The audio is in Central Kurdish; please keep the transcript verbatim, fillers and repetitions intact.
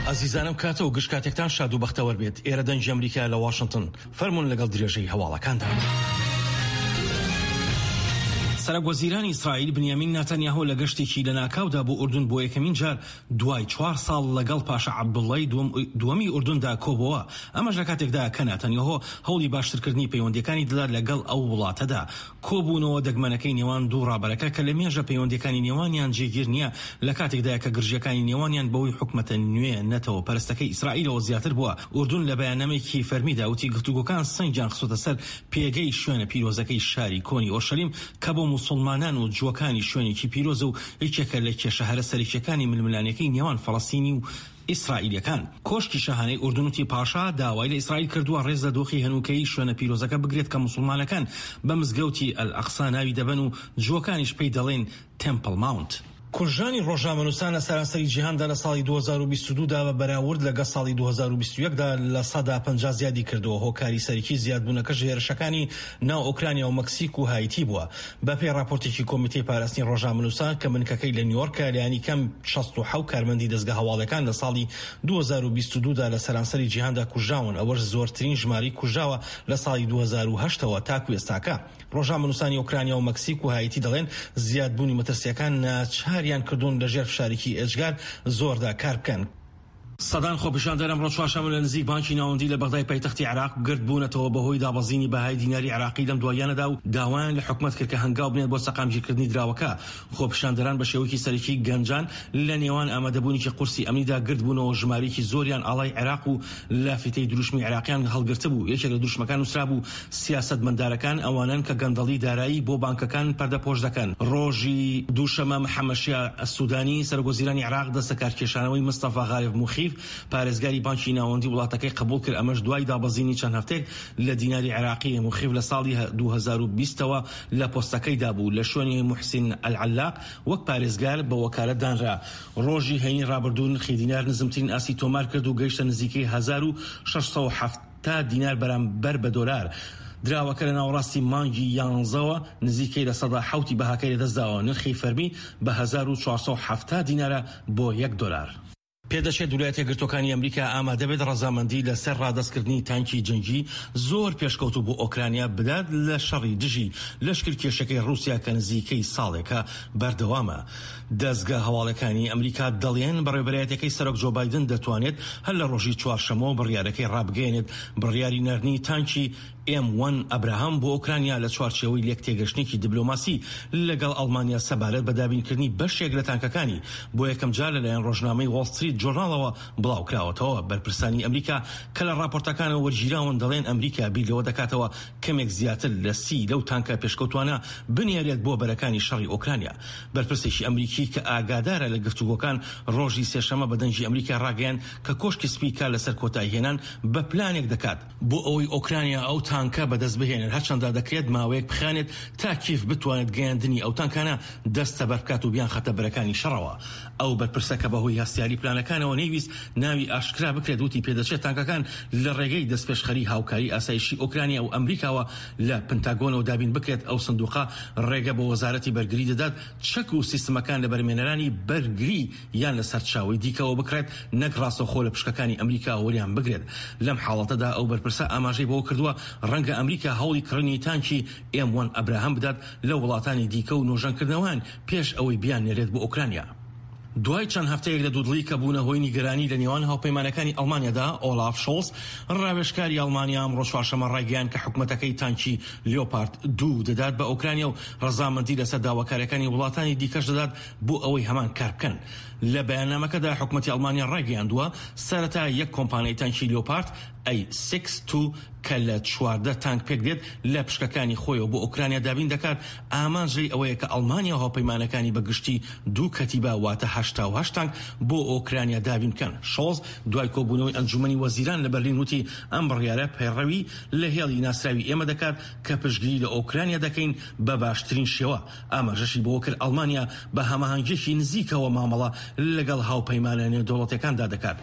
ئازیزانم، کاتە و گشت کاتێکتان شاد و بەختەوەر بێت. ئێرە دەنگی ئەمریکا لە واشنگتن. فەرمونون لەگەڵ درێژەی هەواڵەکاندا. سەرۆک وەزیرانی ئیسرائیل بنیامین ناتانیاهۆ لە گەشتێکی لەناکاودا بۆ ئوردن بۆ یەکەمین جار دوای چوار ساڵ لەگەڵ پاشا عەبدوڵڵای دووەمی ئوردندا کۆبەوە. ئەمەش لە کاتێکدا کە ناتانیاهۆ هەوڵی باشترکردنی پەیوەندیەکانی دەدات لەگەڵ ئەو وڵاتەدا. کۆبوونەوە دەگمەنەکەی نێوان دوو ڕابەرەکە کە لە مێژە پەیوەندیەکانی نێوانیان جێگیر نییە، لە کاتێکدا کە گرژیەکانی نێوانیان بەهۆی حکومەتە نوێ نەتەوە پەرستەکەی ئیسرائیلەوە زیاتر بووە. ئوردن لە بەیاننامەیەکی فەرمیدا وتی گفتوگۆکان سەنگیان خستۆتە سەر پێگەی شوێنە پیرۆزەکەی شاری کۆنی ئۆرشەلیم کە بۆ موسڵمانان و جووەکانی شوێنێکی پیرۆزە و یەکێکە لە کێشە هەرە سەرەکیەکانی ململانێکەی نێوان فەڵەستینی و ئیسرائیلەکان. کۆشکی شاهانەی ئوردن وتی پاشا داوای لە ئیسرائیل کردووە ڕێز لە دۆخی هەنووکەیی شوێنە پیرۆزەکە بگرێت کە موسڵمانەکان بە مزگەوتی ئەلئەقسا ناوی دەبەن و جووەکانیش پێی دەڵێن تەمپڵ ماونت. کوژرانی ڕۆژنامەنووسان لە سەرانسەری جیهاندا لە ساڵی دوو هەزار و بیست و دوو دا بە بەراورد لەگەڵ ساڵی دوو هەزار و بیست و یەک دا لە سەدا پەنجا زیادی کردووە. هۆکاری سەرەکی زیادبوونەکەش هێرشەکانی ناو ئۆکرانیا و مەکسیک و هایتی بووە. بەپێی ڕاپۆرتێکی کۆمیتەی پاراستنی ڕۆژنامەنووسان کە بنکەکەی لە نیویۆرکە، لایەنی کەم شەست و حەوت کارمەندی دەزگا هەواڵەکان لە ساڵی دوو هەزار و بیست و دوو دا لە سەرانسەری جیهاندا کوژراون، ئەوەش زۆرترین ژمارەی کوژراوە لە ساڵی دوو هەزار و هەشت ەوە تاکو ئێستاکە. ڕۆژنامەنووسانی ئۆکرانیا و مەکسیک و هایتی دەڵێن زیادبوونی مەترسیەکان ناچاریان کردوون لەژێر فشارێکی ئێجگار زۆردا کار بکەن. سەدان خۆپیشاندەر ئەمڕۆ چوارشەممە لە نزیک بانکی ناوەندی لە بەغدای پایتەختی عێراق گردبوونەتەوە بەهۆی دابەزینی بەهای دیناری عێراقی لەم دواییانەدا و داوایان لە حکومەت کرد کە هەنگاو بنێت بۆ سەقامگیرکردنی دراوەکە. خۆپیشاندەران بە شێوەیەکی سەرەکی گەنجان لە نێوان ئامادەبوونێکی قورسی ئەمنیدا گردبوونەوە، ژمارەیەکی زۆریان ئاڵای عێراق و لافیتەی دروشمی عێراقیان هەڵگرتبوو. یەکێک لە دروشمەکان نووسرابوو سیاسەتمەندارەکان ئەوانەن کە گەندەڵی دارایی بۆ بانکەکان پەردەپۆش دەکەن. ڕۆژی دووشەممە محەممەد شیاع سودانی سەرۆک وەزیرانی عێراق دەستەکارکێشانەوەی مستەفا غارف موخیف پارێزگاری بانکی ناوەندی وڵاتەکەی قبوڵ کرد، ئەمەش دوای دابەزینی چەند هەفتەیەک لە دیناری عێراقی. موخیف لە ساڵی دوو هەزار و بیست ەوە لە پۆستەکەیدا بوو، لە شوێنی موحسین ئەلعەلاق وەک پارێزگار بە وەکالەت دانرا. ڕۆژی هەینی ڕابردوو نرخی دینار نزمترین ئاستی تۆمار کرد و گەیشتە نزیکەی هەزار و شەش سەد و حەفتا دینار بەرامبەر بە دۆلار. دراوەکە لە ناوەڕاستی مانگی یانزەوە نزیکەی لە سەدا حەوتی بەهاکەی لەدەستداوە. نرخی فەرمی بە هەزار و چوار سەد و حەفتا دینارە بۆ یەک دۆلار. پێدەچێت ویلایەتە یەکگرتووەکانی ئەمریکا ئامادە بێت ڕەزامەندی لەسەر ڕادەستکردنی تانکی جەنگی زۆر پێشکەوتوو بۆ ئۆکرانیا بدات لە شەڕی دژی لەشکرکێشەکەی ڕووسیا کە نزیکەی ساڵێکە بەردەوامە. دەزگا هەواڵەکانی ئەمریکا دەڵێن بەڕێوەبەرایەتیەکەی سەرۆک جۆ بایدن دەتوانێت هەر لە ڕۆژی چوارشەممەوە بڕیارەکەی ڕابگەیەنێت. بڕیاری ناردنی تانکی ئێم وەن ئەبراهام بۆ ئۆکرانیا لە چوارچێوەی لێکتێگەشتنێکی دیبلۆماسی لەگەڵ ئەڵمانیا سەبارەت بە دابینکردنی بەشێک لە تانکەکانی بۆ یەکەم جار لەلایەن ڕۆژنامەی وۆڵ ستریت جۆرناڵەوە بڵاوکراوەتەوە. بەرپرسانی ئەمریکا کە لە ڕاپۆرتەکانەوە وەرگیراون دەڵێن ئەمریکا بیر لەوە دەکاتەوە کەمێک زیاتر لە سی لەو تانکە پێشکەوتوانە بنێرێت بۆ بەرەکانی شەڕی ئۆکرانیا. بەرپرسێکی ئەمریکی کە ئاگادارە لە گفتوگۆکان ڕۆژی سێشەممە بە دەنگی ئەمریکا ڕاگەیاند کە کۆشکی سپی کار لەسەر کۆتاییهێنان بە پلانێک دەکات بۆ ئەوەی ئۆکرانیا ئەو تانکە بەدەست بهێنێت، هەرچەندە دەکرێت ماوەیەک بخانێت تا کیف بتوانێت گەیاندنی ئەو تانکانە دەستەبەر بکات و بیانخاتە بەرەکانی شەڕەوە. ئەو بەرپرسە کە بەهۆی هەستیاری پلانەکانەوە نەیویست ناوی ئاشکرا بکرێت وتی پێدەچێت تانکەکان لە ڕێگەی دەستپێشخەری هاوکاری ئاسایشی ئۆکرانیا و ئەمریکاوە لە پنتاگۆنەوە دابین بکرێت. ئەو سندوقە ڕێگە بۆ وەزارەتی بەرگری دەدات چەک و سیستمەکان لە بەرمێنەرانی بەرگری یان لە سەرچاوەی دیکەوە بکڕێت نەک ڕاستەوخۆ لە پشکەکانی ئەمریکا وەریان بگرێت. لەم حاڵەتەدا ئەو بەرپرسە ئاماژەی بەوە کردووە ڕەنگە ئەمریکا هەوڵی کڕینی تانکی ئێم وەن ئەبراهام بدات لە وڵاتانی دیکە و نۆژەنکردنەوەیان پێش ئەوەی بیان نێرێت بۆ ئۆکرانیا. دوای چەند هەفتەیەک لە دوودڵی کە بوونە هۆی نیگەرانی لە نێوان هاوپەیمانەکانی ئەڵمانیادا، ئۆلاف شۆڵز ڕاوێژکاری ئەڵمانیا ئەمڕۆ چوارشەممە ڕایگەیاند کە حکومەتەکەی تانکی لیۆپارد دوو دەدات بە ئۆکرانیا و ڕەزامەندی لەسەر داواکاریەکانی وڵاتانی دیکەش دەدات بۆ ئەوەی هەمان کار بکەن. لە بەیاننامەکەدا حکومەتی ئەڵمانیا ڕایگەیاندووە سەرەتا یەک کۆمپانیای تانکی لیۆپارد ئەی سێکس دوو کە لە چواردە تانک پێک دێت لە پشکەکانی خۆیەوە بۆ ئۆکرانیا دابین دەکات. ئامانج لێی ئەوەیە کە ئەڵمانیا و هاوپەیمانەکانی بە گشتی دوو کەتیبە واتە هەشتا و هەشت تانک بۆ ئۆکرانیا دابین بکەن. شۆڵز دوای کۆبوونەوەی ئەنجومەنی وەزیران لە بەرلین وتی ئەم بڕیارە پەیڕەوی لە هێڵی ناسراوی ئێمە دەکات کە پشتگیری لە ئۆکرانیا دەکەین بە باشترین شێوە. ئاماژەشی بەوە کرد ئەڵمانیا بە هەماهەنگیەکی نزیکەوە مامەڵە لەگەڵ هاوپەیمانە نێودەوڵەتیەکاندا دەکات.